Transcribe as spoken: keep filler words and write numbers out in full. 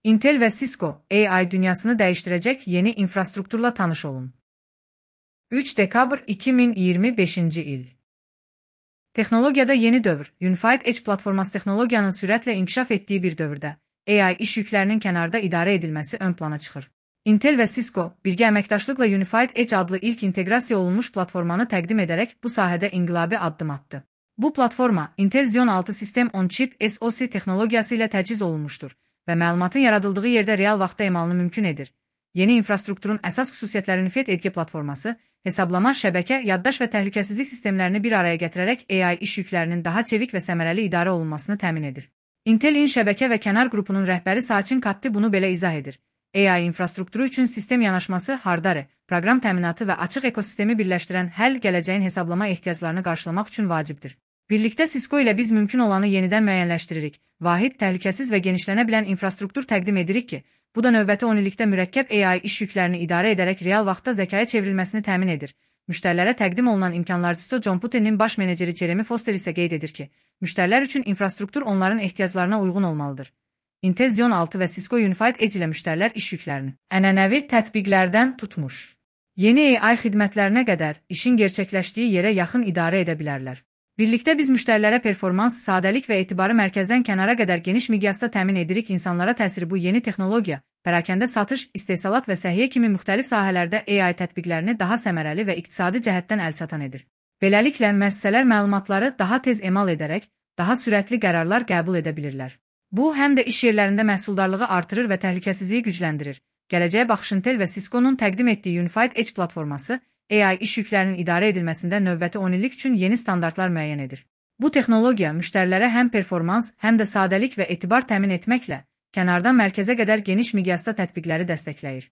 Intel ve Cisco, A I dünyasını değiştirecek yeni infrastrukturla tanış olun. üç dekabr iki bin iyirmi beşinci il. Teknolojide yeni dövr, Unified Edge platforması teknolojiyanın sürətlə inkişaf etdiyi bir dövrdə, A I iş yüklərinin kənarda idarə edilməsi ön plana çıxır. Intel ve Cisco, birgə əməkdaşlıqla Unified Edge adlı ilk inteqrasiya olunmuş platformanı təqdim edərək bu sahədə inqilabi addım attı. Bu platforma, Intel Xeon altı System on Chip S O C texnologiyası ilə təchiz olunmuşdur və məlumatın yaradıldığı yerdə real vaxtda emalını mümkün edir. Yeni infrastrukturun əsas xüsusiyyətlərini F E T Edge platforması, hesablama, şəbəkə, yaddaş və təhlükəsizlik sistemlərini bir araya gətirərək A I iş yüklərinin daha çevik və səmərəli idarə olunmasını təmin edir. Intel-in şəbəkə və kənar qrupunun rəhbəri Sachin Katti bunu belə izah edir. A I infrastrukturu üçün sistem yanaşması, hardware, proqram təminatı və açıq ekosistemi birləşdirən həll gələcəyin hesablama ehtiyaclarını qarşılamaq üçün vacibdir. Birlikdə Cisco ilə biz mümkün olanı yenidən müəyyənləşdiririk. Vahid, təhlükəsiz və genişlənə bilən infrastruktur təqdim edirik ki, bu da növbəti on illikdə mürəkkəb A I iş yüklərini idarə edərək real vaxtda zəkaya çevrilməsini təmin edir. Müştərilərə təqdim olunan imkanlarcısı John Putin'in baş meneceri Jeremy Foster isə qeyd edir ki, müştərilər üçün infrastruktur onların ehtiyaclarına uyğun olmalıdır. Intel Xeon altı və Cisco Unified Edge ilə müştərilər iş yüklərini ənənəvi tətbiqlərdən tutmuş yeni A I xidmətlərinə qədər işin gerçəkləşdiyi yerə yaxın idarə edə bilərlər. Birlikdə biz müştərilərə performans, sadəlik və etibarı mərkəzdən kənara qədər geniş miqyasda təmin edirik. İnsanlara təsiri bu yeni texnologiya, pərakəndə satış, istehsalat və səhiyyə kimi müxtəlif sahələrdə A I tətbiqlərini daha səmərəli və iqtisadi cəhətdən əlçatan edir. Beləliklə, müəssisələr məlumatları daha tez emal edərək, daha sürətli qərarlar qəbul edə bilirlər. Bu, həm də iş yerlərində məhsuldarlığı artırır və təhlükəsizliyi gücləndirir. Gələcəyə baxış Intel və Cisco'nun təqdim etdiyi Unified Edge platforması, A I iş yüklərinin idarə edilməsində növbəti on illik üçün yeni standartlar müəyyən edir. Bu texnologiya müştərilərə həm performans, həm də sadəlik və etibar təmin etməklə, kənardan mərkəzə qədər geniş miqyasda tətbiqləri dəstəkləyir.